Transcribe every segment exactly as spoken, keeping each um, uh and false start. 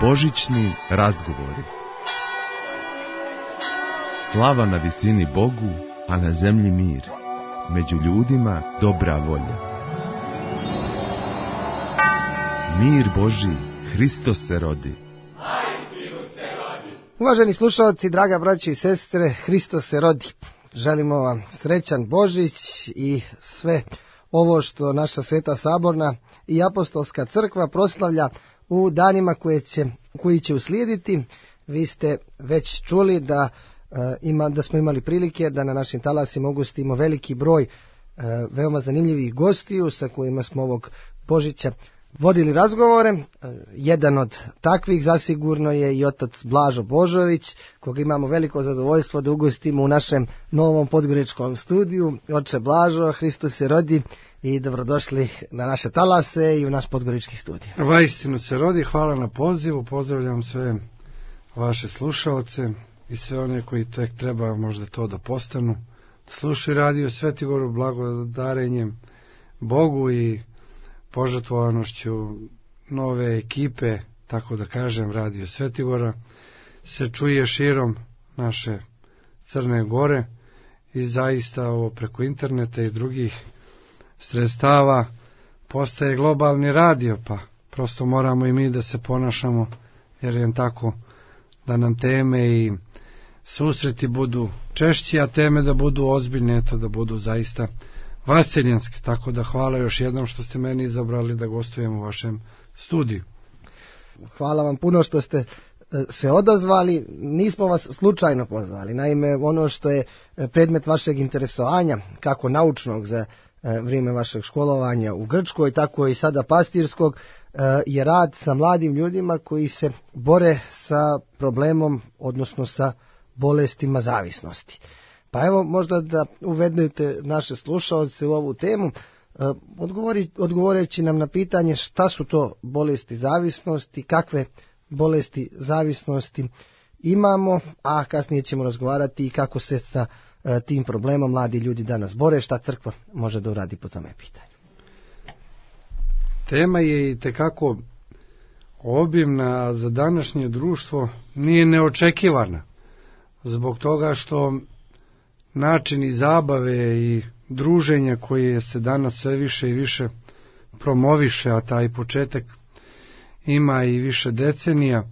Božićni razgovori. Slava na visini Bogu, a na zemlji mir. Među ljudima dobra volja. Mir Božji, Hristos se rodi. Uvaženi slušalci, draga braći i sestre, Hristos se rodi. Želimo vam srećan Božić i sve ovo što naša Sveta Saborna i Apostolska crkva proslavlja u danima koje će, koji će uslijediti. Vi ste već čuli da, uh, ima, da smo imali prilike da na našim talasima ugostimo veliki broj uh, veoma zanimljivih gostiju sa kojima smo ovog Božića vodili razgovore. Jedan od takvih zasigurno je i otac Blažo Božović, koga imamo veliko zadovoljstvo da ugostimo u našem novom podgoričkom studiju. Oče Blažo, Hristos se rodi i dobrodošli na naše talase i u naš podgorički studij. Vaistinu se rodi, hvala na pozivu, pozdravljam sve vaše slušaoce i sve one koji tek treba možda to da postanu. Slušaju radio Svetigoru blagodarenjem Bogu i požrtvovanošću nove ekipe, tako da kažem, Radio Svetigora, se čuje širom naše Crne Gore i zaista ovo preko interneta i drugih sredstava postaje globalni radio, pa prosto moramo i mi da se ponašamo, jer je tako da nam teme i susreti budu češći, a teme da budu ozbiljne, eto da budu zaista vaseljenske, tako da hvala još jednom što ste meni izabrali da gostujem u vašem studiju. Hvala vam puno što ste se odazvali, nismo vas slučajno pozvali. Naime, ono što je predmet vašeg interesovanja, kako naučnog za vrijeme vašeg školovanja u Grčkoj, tako i sada pastirskog, je rad sa mladim ljudima koji se bore sa problemom, odnosno sa bolestima zavisnosti. Pa evo, možda da uvedete naše slušaoce u ovu temu, odgovori, odgovoreći nam na pitanje šta su to bolesti zavisnosti, kakve bolesti zavisnosti imamo, a kasnije ćemo razgovarati i kako se sa tim problemom mladi ljudi danas bore, šta crkva može da uradi po tome pitanju. Tema je i tekako obimna, a za današnje društvo nije neočekivana, zbog toga što načini zabave i druženja koje se danas sve više i više promoviše, a taj početak ima i više decenija,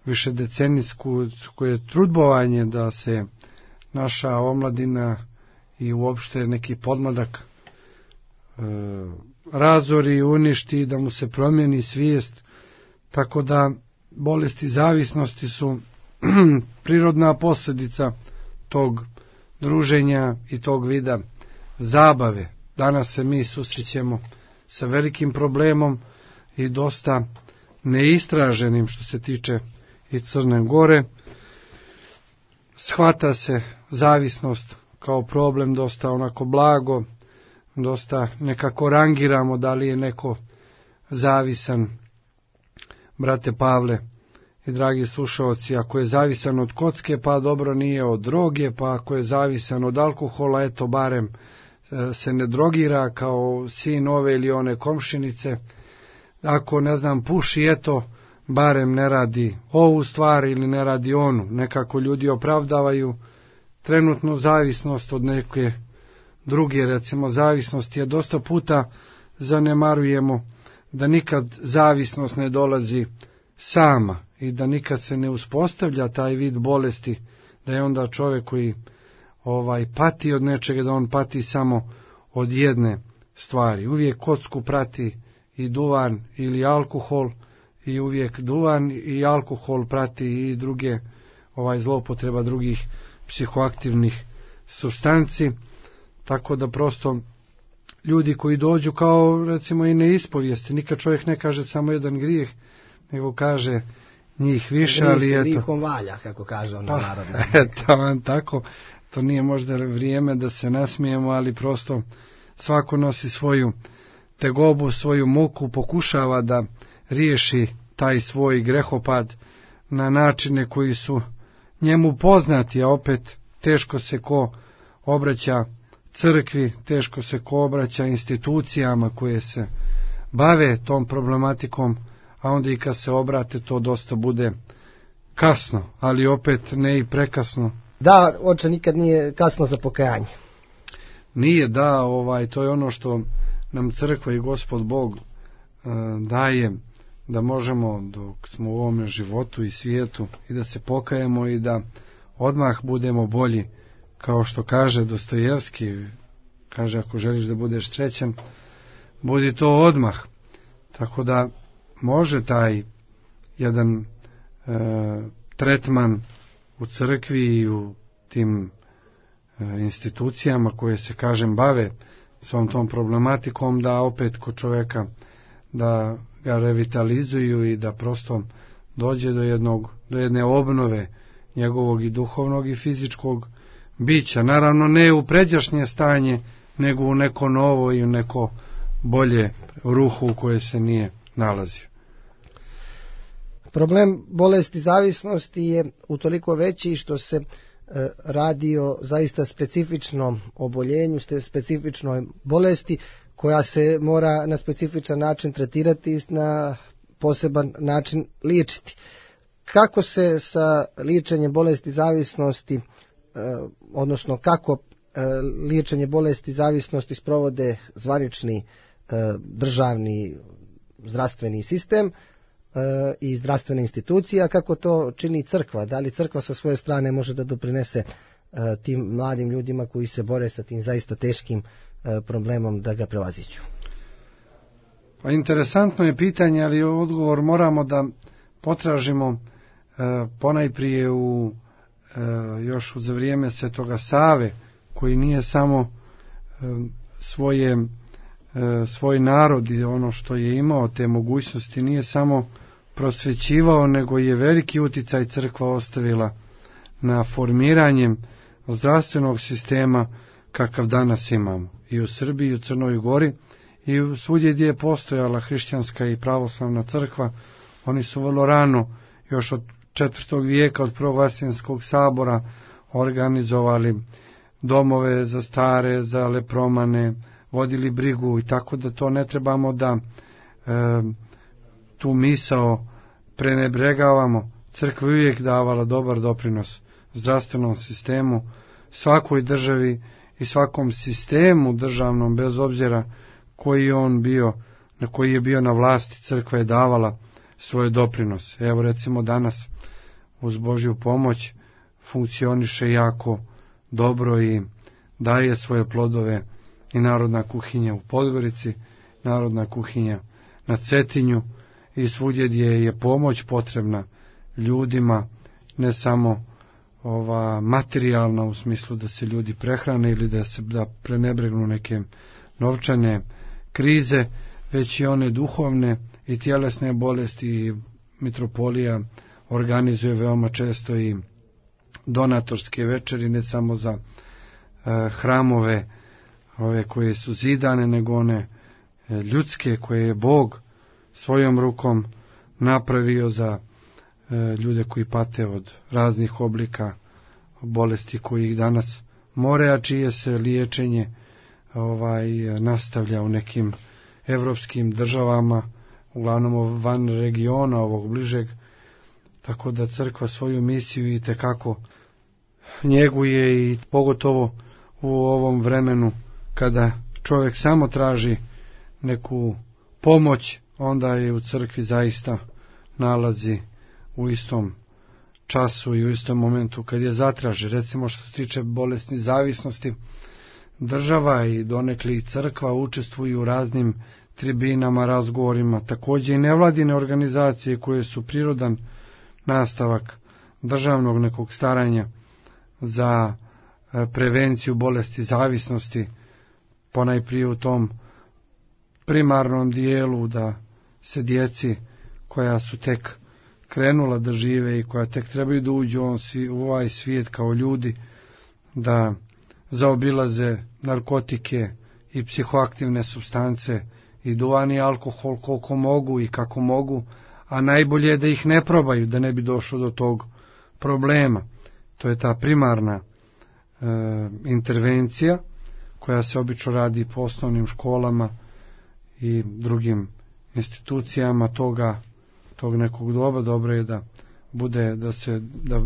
više decenijsku koje trudbovanje da se naša omladina i uopšte neki podmladak e, razori i uništi, da mu se promijeni svijest, tako da bolesti zavisnosti su prirodna posljedica tog druženja i tog vida zabave. Danas se mi susrećemo sa velikim problemom i dosta neistraženim što se tiče i Crne Gore. Shvata se zavisnost kao problem dosta onako blago, dosta nekako rangiramo da li je neko zavisan. Brate Pavle i dragi slušaoci, ako je zavisan od kocke, pa dobro, nije od droge, pa ako je zavisan od alkohola, eto barem se ne drogira kao sin ove ili one komšinice. Ako, ne znam, puši, eto barem ne radi ovu stvar ili ne radi onu. Nekako ljudi opravdavaju trenutnu zavisnost od neke druge, recimo zavisnost je dosta puta zanemarujemo da nikad zavisnost ne dolazi sama i da nikad se ne uspostavlja taj vid bolesti, da je onda čovjek koji ovaj pati od nečega, da on pati samo od jedne stvari. Uvijek kocku prati i duvan ili alkohol i uvijek duvan i alkohol prati i druge ovaj zloupotreba drugih psihoaktivnih supstanci, tako da prosto ljudi koji dođu kao recimo i neispovijesti, nikad čovjek ne kaže samo jedan grijeh, nego kaže njih više, ali eto. Grijeh se lihom valja, kako kaže ona narodna. Eto, tako, to nije možda vrijeme da se nasmijemo, ali prosto svako nosi svoju tegobu, svoju muku, pokušava da riješi taj svoj grehopad na načine koji su njemu poznati, a opet teško se ko obraća crkvi, teško se ko obraća institucijama koje se bave tom problematikom, a onda i kad se obrate to dosta bude kasno, ali opet ne i prekasno. Da, oče, nikad nije kasno za pokajanje. Nije, da, ovaj, to je ono što nam crkva i Gospod Bog e, daje, da možemo dok smo u ovome životu i svijetu i da se pokajemo i da odmah budemo bolji, kao što kaže Dostojevski, kaže ako želiš da budeš srećan, budi to odmah. Tako da može taj jedan e, tretman u crkvi i u tim e, institucijama koje se, kažem, bave svom tom problematikom, da opet kod čovjeka da ga revitalizuju i da prosto dođe do jednog, do jedne obnove njegovog i duhovnog i fizičkog bića. Naravno ne u pređašnje stanje, nego u neko novo i u neko bolje ruhu u koje se nije nalazio. Problem bolesti zavisnosti je utoliko veći što se e, radi o zaista specifičnom oboljenju, specifičnoj bolesti koja se mora na specifičan način tretirati i na poseban način liječiti. Kako se sa liječenjem bolesti zavisnosti, e, odnosno kako e, liječenje bolesti zavisnosti sprovode zvanični e, državni zdravstveni sistem e, i zdravstvene institucije, a kako to čini crkva? Da li crkva sa svoje strane može da doprinese e, tim mladim ljudima koji se bore sa tim zaista teškim e, problemom da ga prevaziđu? Pa interesantno je pitanje, ali odgovor moramo da potražimo e, ponajprije u e, još za vrijeme Svetoga Save, koji nije samo e, svoje e, svoj narod i ono što je imao te mogućnosti nije samo prosvećivao, nego je veliki uticaj crkva ostavila na formiranjem zdravstvenog sistema kakav danas imamo i u Srbiji i u Crnoj Gori i svugdje gdje je postojala hrišćanska i pravoslavna crkva. Oni su vrlo rano, još od četvrtog vijeka, od prvog Vaseljenskog sabora, organizovali domove za stare, za lepromane, vodili brigu, i tako da to ne trebamo da e, tu misao prenebregavamo. Crkva je uvijek davala dobar doprinos zdravstvenom sistemu, svakoj državi i svakom sistemu državnom, bez obzira koji on bio, na koji je bio na vlasti, crkva je davala svoje doprinose. Evo recimo danas uz Božju pomoć funkcioniše jako dobro i daje svoje plodove i narodna kuhinja u Podgorici, narodna kuhinja na Cetinju i svugdje gdje je pomoć potrebna ljudima, ne samo ova materijalna u smislu da se ljudi prehrane ili da se da prenebregnu neke novčane krize, već i one duhovne i tjelesne bolesti. I mitropolija organizuje veoma često i donatorske večeri, ne samo za e, hramove ove koje su zidane, nego one e, ljudske koje je Bog svojom rukom napravio za e, ljude koji pate od raznih oblika bolesti koji ih danas more, a čije se liječenje ovaj nastavlja u nekim evropskim državama, uglavnom van regiona ovog bližeg, tako da crkva svoju misiju i tekako njeguje, i pogotovo u ovom vremenu kada čovjek samo traži neku pomoć, onda je u crkvi zaista nalazi u istom času i u istom momentu kad je zatraži. Recimo što se tiče bolesni zavisnosti, država i donekle i crkva učestvuju u raznim tribinama, razgovorima, također i nevladine organizacije koje su prirodan nastavak državnog nekog staranja za prevenciju bolesti zavisnosti, ponajprije u tom primarnom dijelu da se djeci koja su tek krenula da žive i koja tek trebaju da uđu u ovaj svijet kao ljudi, da zaobilaze narkotike i psihoaktivne supstance i duvan i alkohol koliko mogu i kako mogu, a najbolje je da ih ne probaju, da ne bi došlo do tog problema. To je ta primarna e, intervencija koja se obično radi po osnovnim školama i drugim institucijama toga tog nekog doba, dobro je da bude, da se, da,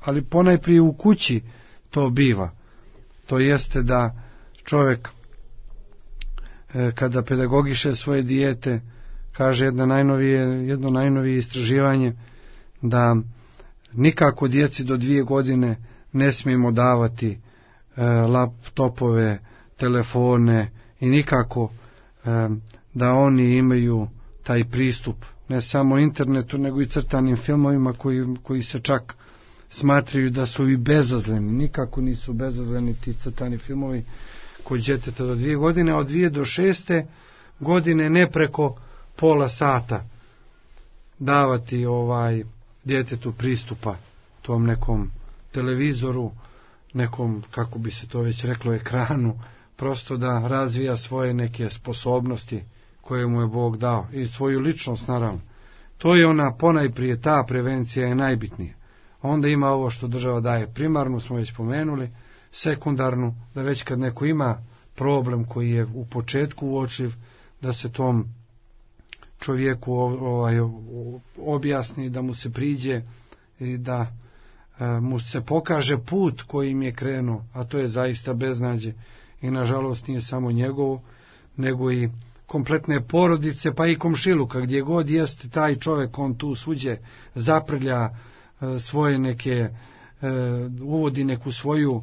ali ponajprije u kući to biva. To jeste da čovjek e, kada pedagogiše svoje dijete, kaže jedna najnovije, jedno najnovije istraživanje, da nikako djeci do dvije godine ne smijemo davati e, laptopove, telefone i nikako e, da oni imaju taj pristup ne samo internetu nego i crtanim filmovima koji, koji se čak smatraju da su i bezazleni. Nikako nisu bezazleni ti crtani filmovi kod djeteta do dvije godine, a od dvije do šeste godine ne preko pola sata davati ovaj djetetu pristupa tom nekom televizoru, nekom, kako bi se to već reklo, ekranu, prosto da razvija svoje neke sposobnosti koje mu je Bog dao i svoju ličnost, naravno. To je ona ponajprije, ta prevencija je najbitnija. Onda ima ovo što država daje primarnu, smo već spomenuli, sekundarnu, da već kad neko ima problem koji je u početku uočiv, da se tom čovjeku ovaj, objasni, da mu se priđe i da e, mu se pokaže put kojim je krenuo, a to je zaista beznađe i nažalost nije samo njegovo, nego i kompletne porodice, pa i komšiluka, gdje god jeste taj čovjek, on tu svuđe zaprlja e, svoje neke, e, uvodi neku svoju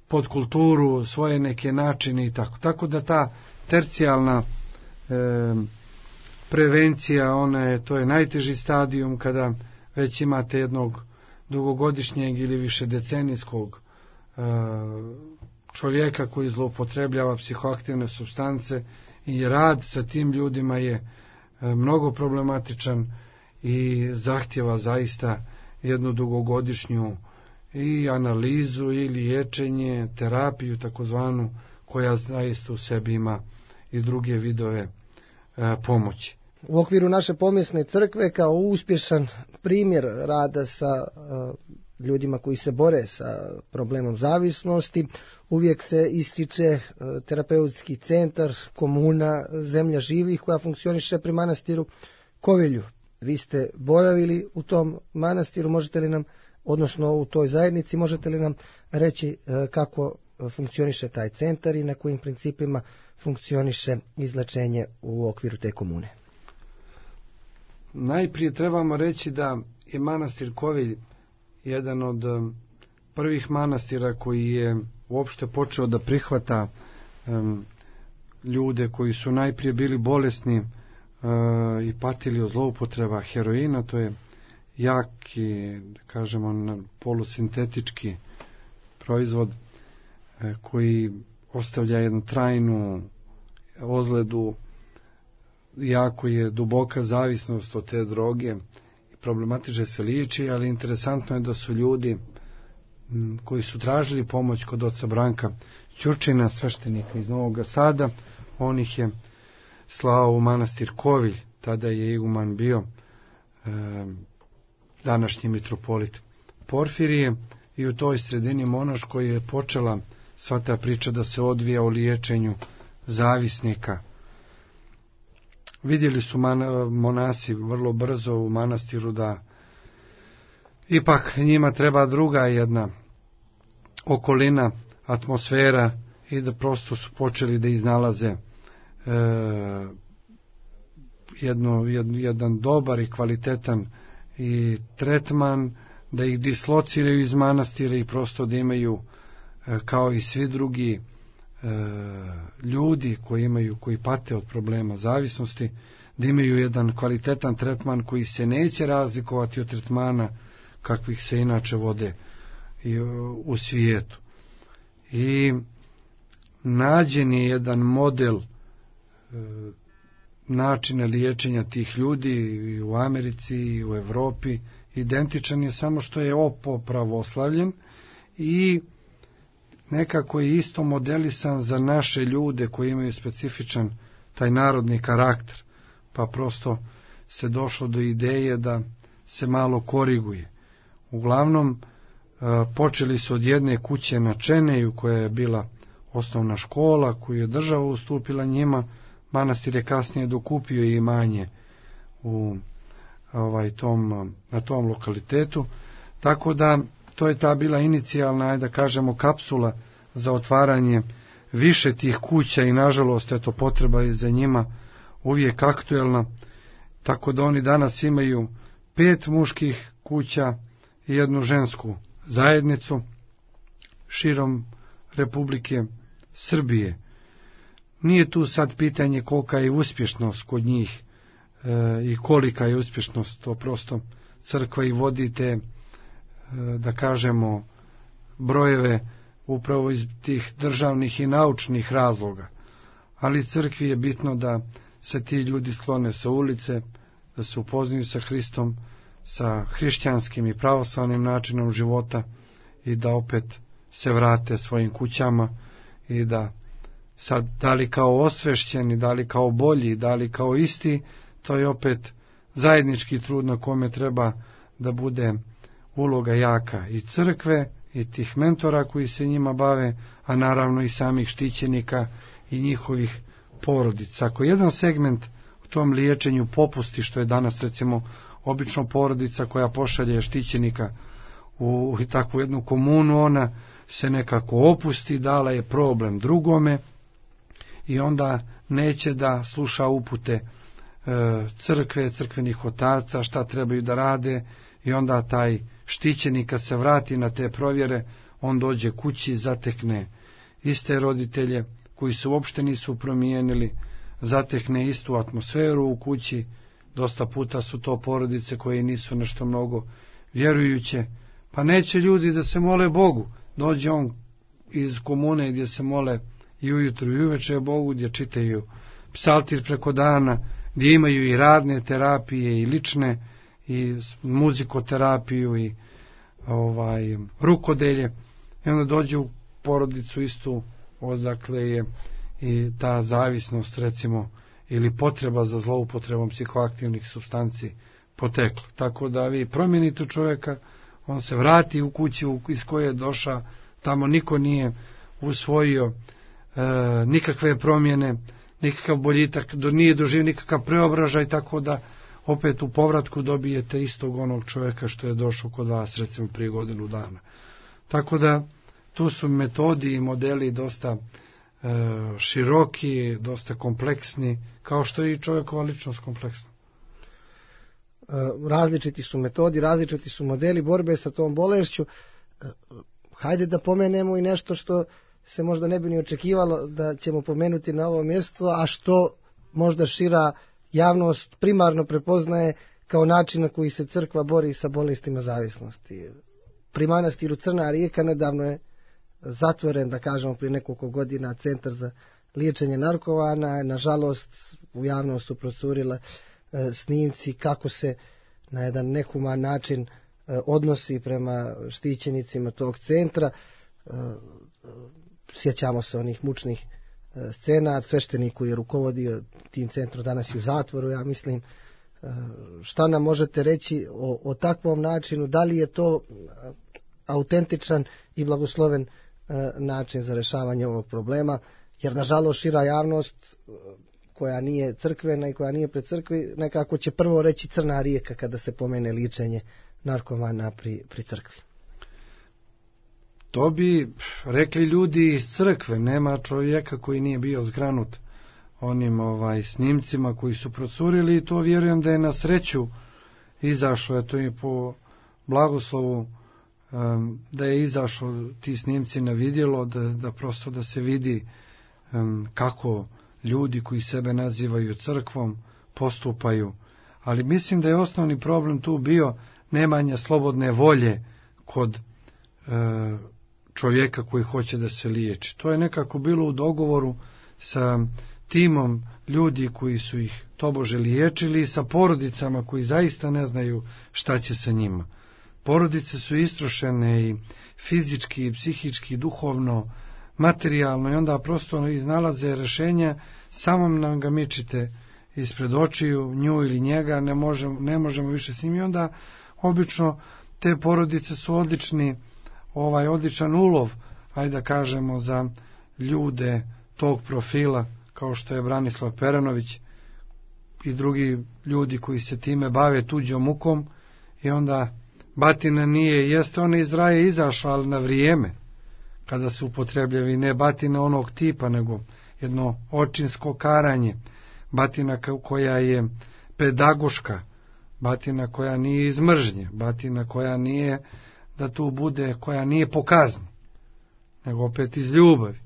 podkulturu, svoje neke načine i tako. Tako da ta tercijalna e, prevencija, ona je, to je najteži stadijum kada već imate jednog dugogodišnjeg ili više decenijskog e, čovjeka koji zloupotrebljava psihoaktivne supstance i rad sa tim ljudima je e, mnogo problematičan i zahtjeva zaista jednu dugogodišnju i analizu i liječenje, terapiju takozvanu, koja zaista u sebi ima i druge vidove e, pomoći. U okviru naše pomjesne crkve kao uspješan primjer rada sa uh, ljudima koji se bore sa problemom zavisnosti, uvijek se ističe uh, terapeutski centar, komuna Zemlja živih koja funkcioniše pri manastiru Kovilju. Vi ste boravili u tom manastiru, možete li nam, odnosno u toj zajednici, možete li nam reći uh, kako funkcioniše taj centar i na kojim principima funkcioniše izlečenje u okviru te komune? Najprije trebamo reći da je manastir Kovilj jedan od prvih manastira koji je uopšte počeo da prihvata um, ljude koji su najprije bili bolesni uh, i patili od zloupotreba heroina. To je jaki, da kažemo, polusintetički proizvod uh, koji ostavlja jednu trajnu ozledu. Jako je duboka zavisnost od te droge i problematiče se liječi, ali interesantno je da su ljudi m, koji su tražili pomoć kod oca Branka Ćurčina, sveštenika iz Novog Sada, on ih je slao u manastir Kovilj, tada je iguman bio e, današnji mitropolit Porfirije, i u toj sredini monaškoj je počela sva ta priča da se odvija o liječenju zavisnika. Vidjeli su man, monasi vrlo brzo u manastiru da ipak njima treba druga jedna okolina, atmosfera, i da prosto su počeli da iznalaze e, jedno, jed, jedan dobar i kvalitetan i tretman, da ih dislociraju iz manastira i prosto da imaju e, kao i svi drugi ljudi koji imaju, koji pate od problema zavisnosti, da imaju jedan kvalitetan tretman koji se neće razlikovati od tretmana kakvih se inače vode i u svijetu. I nađen je jedan model načina liječenja tih ljudi i u Americi i u Europi, identičan je, samo što je opopravoslavljen i nekako je isto modelisan za naše ljude koji imaju specifičan taj narodni karakter, pa prosto se došlo do ideje da se malo koriguje. Uglavnom, počeli su od jedne kuće na Čeneju, koja je bila osnovna škola, koju je država ustupila njima. Manastir je kasnije dokupio i imanje u ovaj, tom, na tom lokalitetu. Tako da to je ta bila inicijalna, ajde da kažemo, kapsula za otvaranje više tih kuća i nažalost eto potreba je za njima uvijek aktuelna. Tako da oni danas imaju pet muških kuća i jednu žensku zajednicu širom Republike Srbije. Nije tu sad pitanje kolika je uspješnost kod njih e, i kolika je uspješnost, to prosto crkva i vodite, e, da kažemo, brojeve upravo iz tih državnih i naučnih razloga. Ali crkvi je bitno da se ti ljudi sklone sa ulice, da se upoznaju sa Hristom, sa hrišćanskim i pravoslavnim načinom života i da opet se vrate svojim kućama i da sad da li kao osvešćeni, da li kao bolji, da li kao isti, to je opet zajednički trud na kome treba da bude uloga jaka i crkve i tih mentora koji se njima bave, a naravno i samih štićenika i njihovih porodica. Ako jedan segment u tom liječenju popusti, što je danas recimo obično porodica koja pošalje štićenika u takvu jednu komunu, ona se nekako opusti, dala je problem drugome i onda neće da sluša upute e, crkve, crkvenih otaca, šta trebaju da rade, i onda taj štićenik kad se vrati na te provjere, on dođe kući i zatekne iste roditelje koji se uopšte nisu promijenili, zatekne istu atmosferu u kući. Dosta puta su to porodice koje nisu nešto mnogo vjerujuće, pa neće ljudi da se mole Bogu. Dođe on iz komune gdje se mole i ujutru i uveče Bogu, gdje čitaju psaltir preko dana, gdje imaju i radne terapije i lične i muzikoterapiju i ovaj rukodelje, i onda dođe u porodicu istu, odakle je i ta zavisnost recimo ili potreba za zloupotrebom psihoaktivnih supstanci potekla. Tako da vi promijenite čovjeka, on se vrati u kući iz koje je došao, tamo niko nije usvojio e, nikakve promjene, nikakav boljitak, do, nije doživio nikakav preobražaj, tako da opet u povratku dobijete istog onog čovjeka što je došao kod vas recimo prije godinu dana. Tako da tu su metodi i modeli dosta e, široki, dosta kompleksni, kao što je i čovjekova ličnost kompleksna. Različiti su metodi, različiti su modeli borbe sa tom bolešću. Hajde da pomenemo i nešto što se možda ne bi ni očekivalo da ćemo pomenuti na ovom mjestu, a što možda šira javnost primarno prepoznaje kao način na koji se crkva bori sa bolestima zavisnosti. Pri manastiru Crna Rijeka nedavno je zatvoren, da kažemo prije nekoliko godina, centar za liječenje narkomana. Nažalost, u javnost su procurile e, snimci kako se na jedan nehuman način e, odnosi prema štićenicima tog centra. E, sjećamo se onih mučnih e, scena, sveštenik koji je rukovodio tim centrom danas je u zatvoru, ja mislim. E, šta nam možete reći o, o takvom načinu, da li je to autentičan i blagosloven e, način za rješavanje ovog problema, jer nažalost šira javnost koja nije crkvena i koja nije pred crkvi nekako će prvo reći Crna Rijeka kada se pomene liječenje narkomana pri, pri crkvi. To bi rekli ljudi iz crkve, nema čovjeka koji nije bio zgranut onim ovaj snimcima koji su procurili, i to vjerujem da je na sreću izašlo, eto i po blagoslovu um, da je izašlo ti snimci na vidjelo, da, da prosto da se vidi um, kako ljudi koji sebe nazivaju crkvom postupaju. Ali mislim da je osnovni problem tu bio nemanje slobodne volje kod uh, čovjeka koji hoće da se liječi. To je nekako bilo u dogovoru sa timom ljudi koji su ih tobože liječili i sa porodicama koji zaista ne znaju šta će sa njima. Porodice su istrošene i fizički, i psihički, i duhovno, materijalno, i onda prosto iznalaze rješenja, samo nam ga mičite ispred očiju, nju ili njega, ne možemo, ne možemo više s njim, i onda obično te porodice su odlični, ovaj odličan ulov, ajde da kažemo, za ljude tog profila, kao što je Branislav Peranović, i drugi ljudi koji se time bave tuđom mukom, i onda batina nije, jeste ona iz raja izašla, ali na vrijeme, kada se upotrebljavi, ne batina onog tipa, nego jedno očinsko karanje, batina koja je pedagoška, batina koja nije iz mržnje, batina koja nije da tu bude, koja nije po kazni, nego opet iz ljubavi.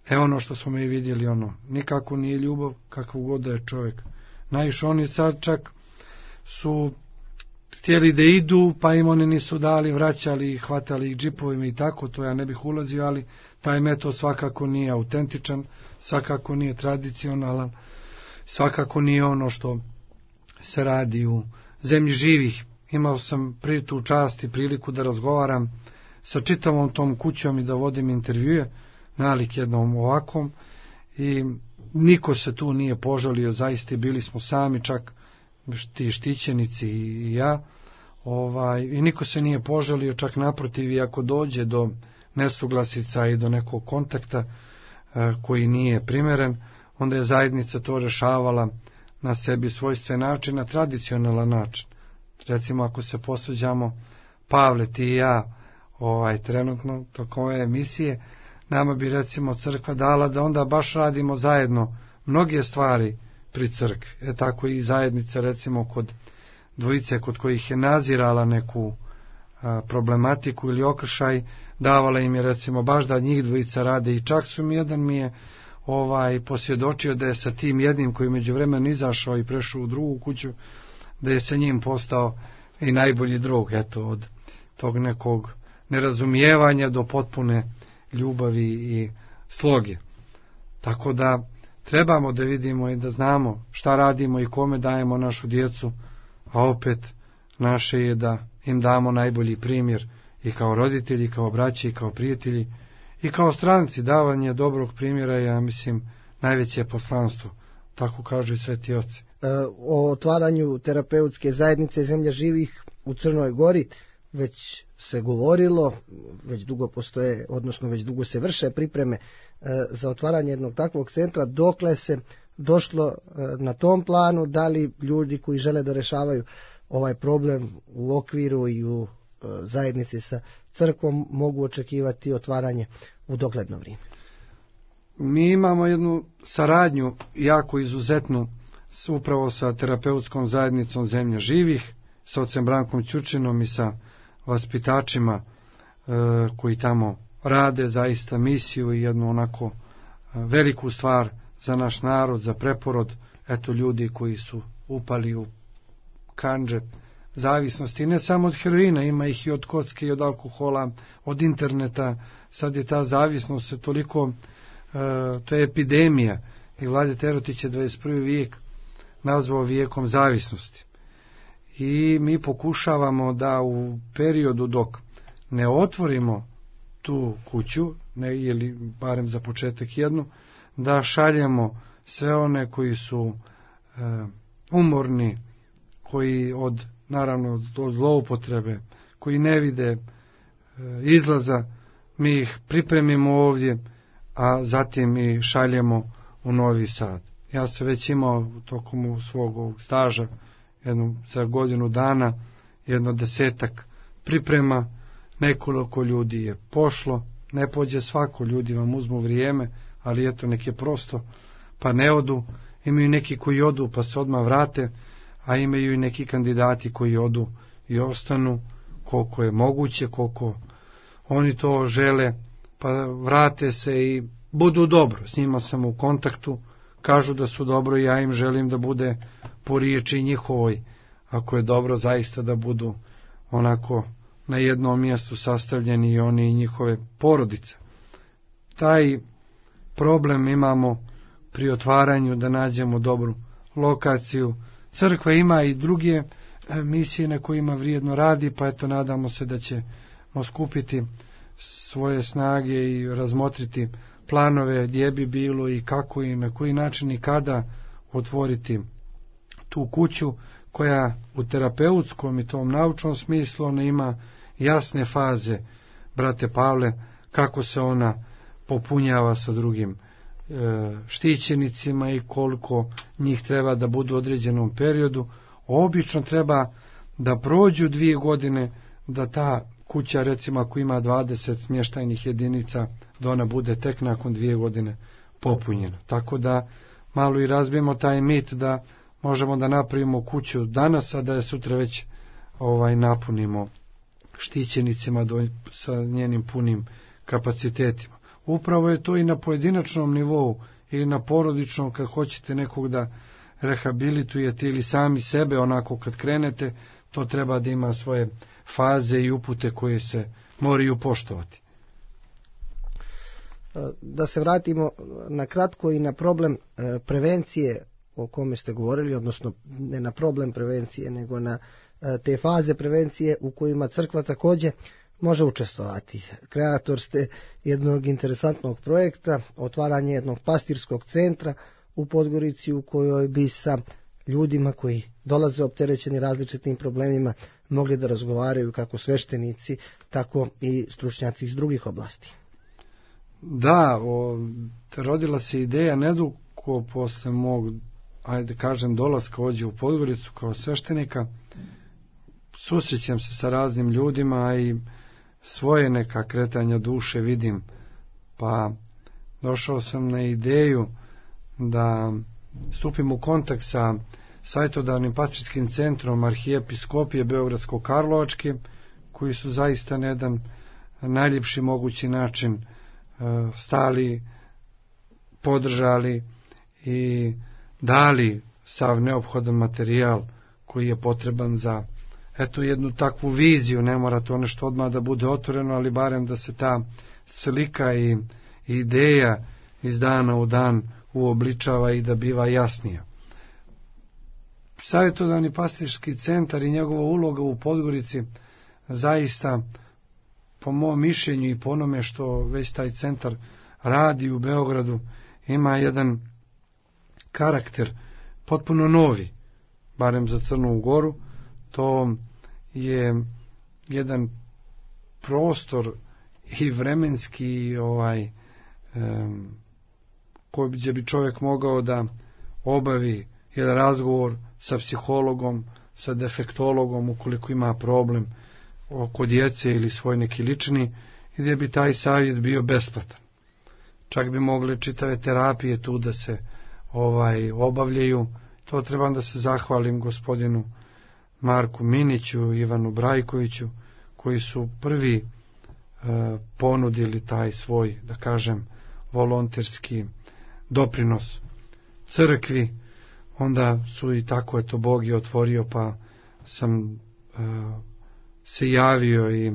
E ono što smo mi vidjeli, ono, nikako nije ljubav, kakvu god da je čovjek. Najviše oni sad čak su htjeli da idu, pa im oni nisu dali, vraćali ih, hvatali ih džipovima i tako, to ja ne bih ulazio, ali taj metod svakako nije autentičan, svakako nije tradicionalan, svakako nije ono što se radi u zemlji živih. Imao sam pri tu čast i priliku da razgovaram sa čitavom tom kućom i da vodim intervjue, nalik jednom ovakvom, i niko se tu nije požalio, zaista bili smo sami, čak ti štićenici i ja, ovaj, i niko se nije požalio, čak naprotiv, i ako dođe do nesuglasica i do nekog kontakta e, koji nije primeren, onda je zajednica to rešavala na sebi svojstven način, na tradicionalan način. Recimo, ako se posveđamo, Pavle, ti i ja, ovaj, trenutno tokom ove emisije, nama bi recimo crkva dala da onda baš radimo zajedno mnoge stvari pri crkvi. E tako i zajednica, recimo kod dvojice kod kojih je nazirala neku a, problematiku ili okršaj, davala im je recimo baš da njih dvojica rade, i čak su mi, jedan mi je ovaj posvjedočio da je sa tim jednim koji među vremenu izašao i prešao u drugu kuću, da je sa njim postao i najbolji drug, eto, od tog nekog nerazumijevanja do potpune ljubavi i sloge. Tako da trebamo da vidimo i da znamo šta radimo i kome dajemo našu djecu, a opet naše je da im damo najbolji primjer i kao roditelji, kao braći, i kao prijatelji, i kao stranci. Davanje dobrog primjera je, ja mislim, najveće poslanstvo, tako kažu i sveti oci. E, o otvaranju terapeutske zajednice Zemlja živih u Crnoj Gori već se govorilo, već dugo postoje, odnosno već dugo se vrše pripreme e, za otvaranje jednog takvog centra. Dokle se došlo e, na tom planu, da li ljudi koji žele da rešavaju ovaj problem u okviru i u e, zajednici sa crkvom mogu očekivati otvaranje u dogledno vrijeme? Mi imamo jednu saradnju jako izuzetnu upravo sa terapeutskom zajednicom Zemlja živih, sa ocem Brankom Ćurčinom i sa vaspitačima e, koji tamo rade zaista misiju i jednu onako e, veliku stvar za naš narod, za preporod, eto, ljudi koji su upali u kandže zavisnosti, ne samo od heroina, ima ih i od kocke i od alkohola, od interneta. Sad je ta zavisnost se toliko, e, to je epidemija, i Vlade Terotić je dvadeset prvi vijek nazvao vijekom zavisnosti. I mi pokušavamo da u periodu dok ne otvorimo tu kuću, ne, ili barem za početak jednu, da šaljemo sve one koji su e, umorni, koji od, naravno, od zloupotrebe, koji ne vide e, izlaza, mi ih pripremimo ovdje, a zatim i šaljemo u Novi Sad. Ja sam već imao tokom svog ovog staža, jednu, za godinu dana, jedno desetak priprema, nekoliko ljudi je pošlo, ne pođe svako, ljudi vam uzmu vrijeme, ali eto, nek je prosto, pa ne odu. Imaju neki koji odu pa se odmah vrate, a imaju i neki kandidati koji odu i ostanu koliko je moguće, koliko oni to žele, pa vrate se i budu dobro. S njima sam u kontaktu, kažu da su dobro i ja im želim da bude po riječi njihovoj, ako je dobro, zaista da budu onako na jednom mjestu sastavljeni i oni i njihove porodice. Taj problem imamo pri otvaranju, da nađemo dobru lokaciju. Crkva ima i druge misije na kojima vrijedno radi, pa eto, nadamo se da ćemo skupiti svoje snage i razmotriti planove gdje bi bilo i kako i na koji način i kada otvoriti tu kuću, koja u terapeutskom i tom naučnom smislu ona ima jasne faze, brate Pavle, kako se ona popunjava sa drugim štićenicima i koliko njih treba da budu u određenom periodu. Obično treba da prođu dvije godine, da ta kuća, recimo ako ima dvadeset smještajnih jedinica, da ona bude tek nakon dvije godine popunjena. Tako da malo i razbijemo taj mit da možemo da napravimo kuću danas, a da je sutra već ovaj napunimo štićenicima do, sa njenim punim kapacitetima. Upravo je to i na pojedinačnom nivou ili na porodičnom, kad hoćete nekog da rehabilitujete ili sami sebe, onako kad krenete, to treba da ima svoje faze i upute koje se moraju poštovati. Da se vratimo na kratko i na problem prevencije o kome ste govorili, odnosno ne na problem prevencije, nego na te faze prevencije u kojima crkva također može učestvovati. Kreator ste jednog interesantnog projekta, otvaranje jednog pastirskog centra u Podgorici, u kojoj bi sa ljudima koji dolaze opterećeni različitim problemima mogli da razgovaraju kako sveštenici, tako i stručnjaci iz drugih oblasti. Da, o, rodila se ideja nedugo posle mog, ajde kažem, dolaska ovdje u Podgoricu kao sveštenika. Susrećem se sa raznim ljudima i svoje neka kretanja duše vidim, pa došao sam na ideju da stupim u kontakt sa savjetodavnim pastirskim centrom Arhijepiskopije Beogradsko-Karlovačke, koji su zaista na jedan najljepši mogući način stali, podržali i dali sav neophodan materijal koji je potreban za eto jednu takvu viziju. Ne mora to nešto odmah da bude otvoreno, ali barem da se ta slika i ideja iz dana u dan uobličava i da biva jasnija. Savjetodavni pastirski centar i njegova uloga u Podgorici zaista, po mom mišljenju i po onome što već taj centar radi u Beogradu, ima jedan karakter potpuno novi, barem za Crnu Goru. To je jedan prostor i vremenski ovaj um, koji bi čovjek mogao da obavi jedan razgovor sa psihologom, sa defektologom ukoliko ima problem oko djece ili svoj neki lični, i gdje bi taj savjet bio besplatan. Čak bi mogli čitave terapije tu da se ovaj obavljaju. To trebam da se zahvalim gospodinu Marku Miniću, Ivanu Brajkoviću, koji su prvi e, ponudili taj svoj, da kažem, volonterski doprinos crkvi. Onda su i tako je to Bog je otvorio, pa sam e, se javio i e,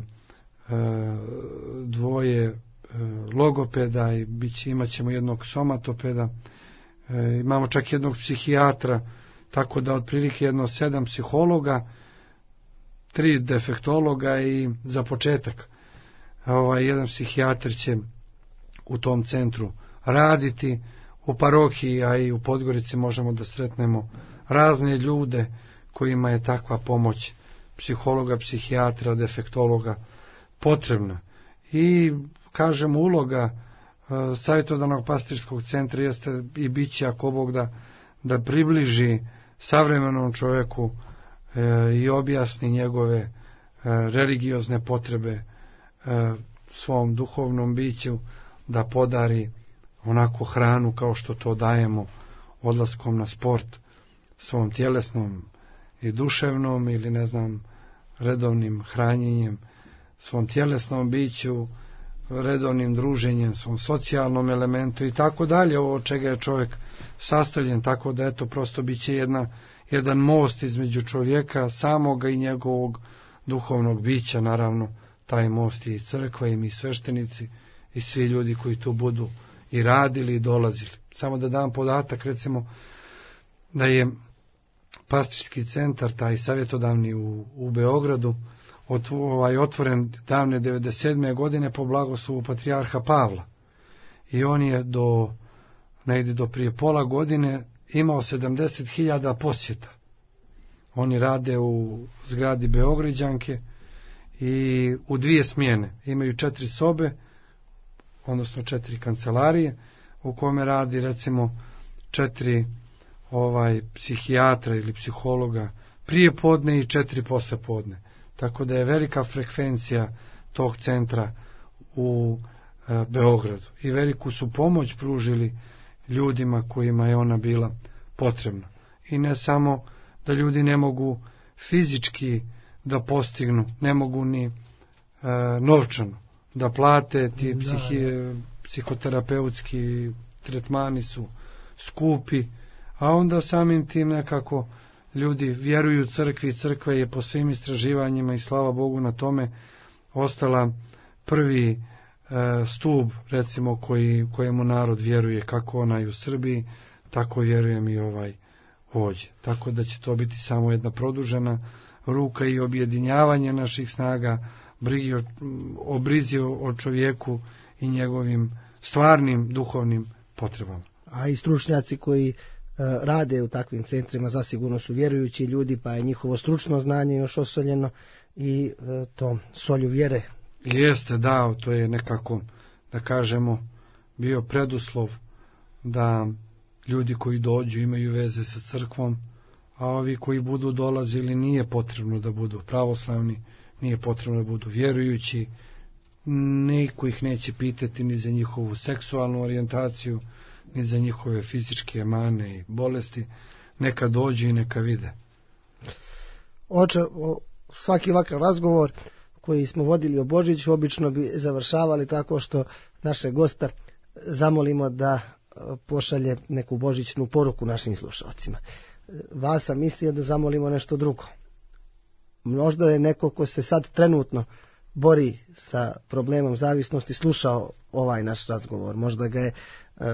dvoje e, logopeda i bit će, imat ćemo jednog somatopeda, e, imamo čak jednog psihijatra, tako da otprilike jedno sedam psihologa, tri defektologa i za početak ovaj, jedan psihijatar će u tom centru raditi. U parohiji, a i u Podgorici možemo da sretnemo razne ljude kojima je takva pomoć psihologa, psihijatra, defektologa potrebna. I kažem, uloga e, savjetodavnog pastirskog centra jeste i bit će, ako Bog da, da približi savremenom čovjeku e, i objasni njegove e, religiozne potrebe e, svom duhovnom biću, da podari onako hranu kao što to dajemo odlaskom na sport svom tjelesnom i duševnom, ili ne znam, redovnim hranjenjem svom tjelesnom biću, redovnim druženjem, svom socijalnom elementu i tako dalje, ovo od čega je čovjek sastavljen. Tako da eto, prosto bit će jedna, jedan most između čovjeka samoga i njegovog duhovnog bića. Naravno, taj most je i crkva i mi sveštenici i svi ljudi koji tu budu i radili i dolazili. Samo da dam podatak, recimo, da je pastirski centar, taj savjetodavni u, u Beogradu, ot, ovaj, otvoren davne devedeset sedme godine po blagoslovu patrijarha Pavla. I on je do, negdje do prije pola godine imao sedamdeset hiljada posjeta. Oni rade u zgradi Beograđanke i u dvije smjene. Imaju četiri sobe, odnosno četiri kancelarije, u kome radi recimo četiri ovaj psihijatra ili psihologa prije podne i četiri posle podne. Tako da je velika frekvencija tog centra u e, Beogradu i veliku su pomoć pružili ljudima kojima je ona bila potrebna. I ne samo da ljudi ne mogu fizički da postignu, ne mogu ni e, novčano da plate, ti da, psihi, da. psihoterapeutski tretmani su skupi, a onda samim tim nekako ljudi vjeruju crkvi, crkva je po svim istraživanjima i slava Bogu na tome ostala prvi e, stup recimo koji, kojemu narod vjeruje, kako onaj u Srbiji, tako vjerujem i ovaj ovdje. Tako da će to biti samo jedna produžena ruka i objedinjavanje naših snaga, brigi o, o brizi o čovjeku i njegovim stvarnim duhovnim potrebama. A i stručnjaci koji rade u takvim centrima zasigurno su vjerujući ljudi, pa je njihovo stručno znanje još osoljeno i to solju vjere. Jeste, da, to je nekako, da kažemo, bio preduslov da ljudi koji dođu imaju veze sa crkvom, a ovi koji budu dolazili nije potrebno da budu pravoslavni, nije potrebno da budu vjerujući, niko ih neće pitati ni za njihovu seksualnu orijentaciju, ni za njihove fizičke mane i bolesti, neka dođu i neka vide. Oče, svaki ovakav razgovor koji smo vodili o Božiću obično bi završavali tako što naše gosta zamolimo da pošalje neku božićnu poruku našim slušalcima. Vas sam mislio da zamolimo nešto drugo. Možda je neko ko se sad trenutno bori sa problemom zavisnosti slušao ovaj naš razgovor. Možda ga je e,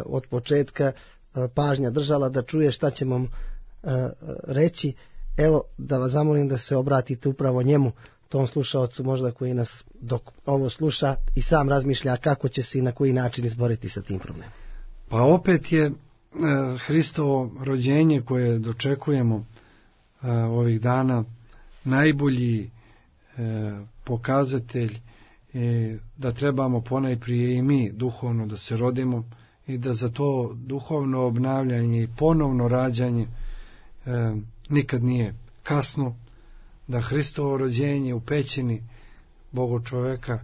od početka e, pažnja držala da čuje šta ćemo e, reći. Evo da vas zamolim da se obratite upravo njemu, tom slušaocu možda koji nas dok ovo sluša i sam razmišlja kako će se i na koji način izboriti sa tim problemom. Pa opet je e, Hristovo rođenje koje dočekujemo e, ovih dana najbolji e, pokazatelj e, da trebamo ponajprije i mi duhovno da se rodimo i da za to duhovno obnavljanje i ponovno rađanje e, nikad nije kasno, da Hristovo rođenje u pećini Boga čoveka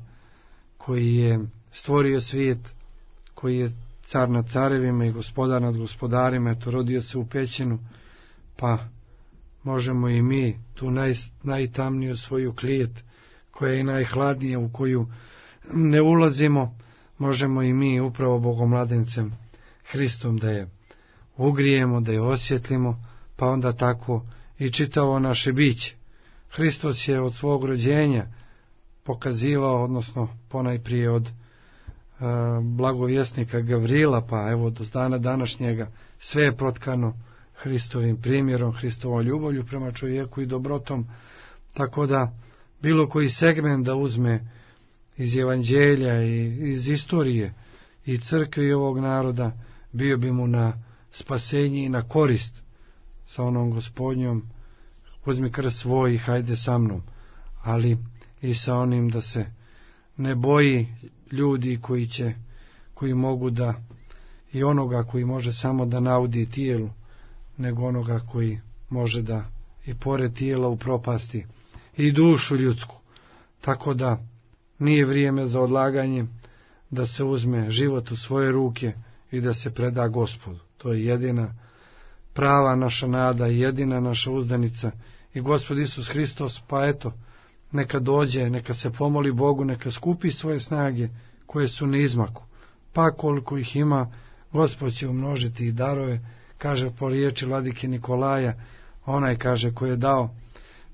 koji je stvorio svijet, koji je car nad carevima i gospodar nad gospodarima, eto rodio se u pećinu, pa možemo i mi tu naj, najtamniju svoju klijet koja je najhladnija, u koju ne ulazimo, možemo i mi upravo Bogomladencem Hristom da je ugrijemo, da je osvjetlimo, pa onda tako i čitavo naše biće. Hristos je od svog rođenja pokazivao, odnosno ponajprije od uh, blagovjesnika Gavrila, pa evo do dana današnjega sve je protkano Hristovim primjerom, Hristovom ljubavlju prema čovjeku i dobrotom, tako da bilo koji segment da uzme iz evanđelja i iz istorije i crkve i ovog naroda, bio bi mu na spasenje i na korist sa onom Gospodnjom, uzmi krst svoj i hajde sa mnom, ali i sa onim da se ne boji ljudi koji će, koji mogu da, i onoga koji može samo da naudi tijelu, nego onoga koji može da i pored tijela upropasti i dušu ljudsku. Tako da nije vrijeme za odlaganje, da se uzme život u svoje ruke i da se preda Gospodu. To je jedina prava naša nada i jedina naša uzdanica. I Gospod Isus Hristos, pa eto, neka dođe, neka se pomoli Bogu, neka skupi svoje snage koje su na izmaku. Pa koliko ih ima, Gospod će umnožiti i darove, kaže po riječi vladike Nikolaja, onaj kaže koji je dao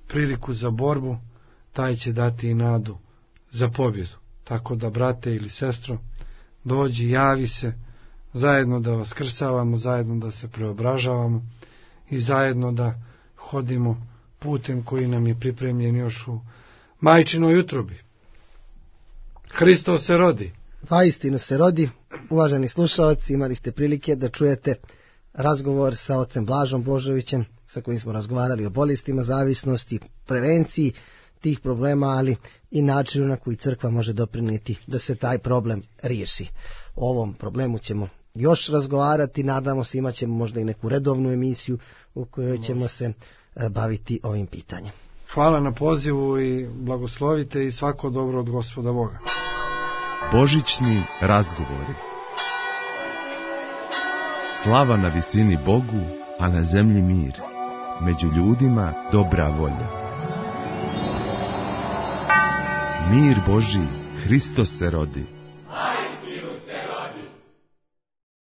priliku za borbu, taj će dati i nadu za pobjedu. Tako da, brate ili sestro, dođi, javi se, zajedno da vaskrsavamo, zajedno da se preobražavamo i zajedno da hodimo putem koji nam je pripremljen još u majčinoj utrobi. Hristos se rodi. Vaistinu se rodi. Uvaženi slušalci, imali ste prilike da čujete razgovor sa ocem Blažom Božovićem, sa kojim smo razgovarali o bolestima zavisnosti, prevenciji tih problema, ali i načinu na koji crkva može doprinijeti da se taj problem riješi. O ovom problemu ćemo još razgovarati, nadamo se imat ćemo možda i neku redovnu emisiju u kojoj ćemo se baviti ovim pitanjem. Hvala na pozivu i blagoslovite i svako dobro od Gospoda Boga. Božićni razgovori. Slava na visini Bogu, a na zemlji mir. Među ljudima dobra volja. Mir Božji, Hristos se rodi.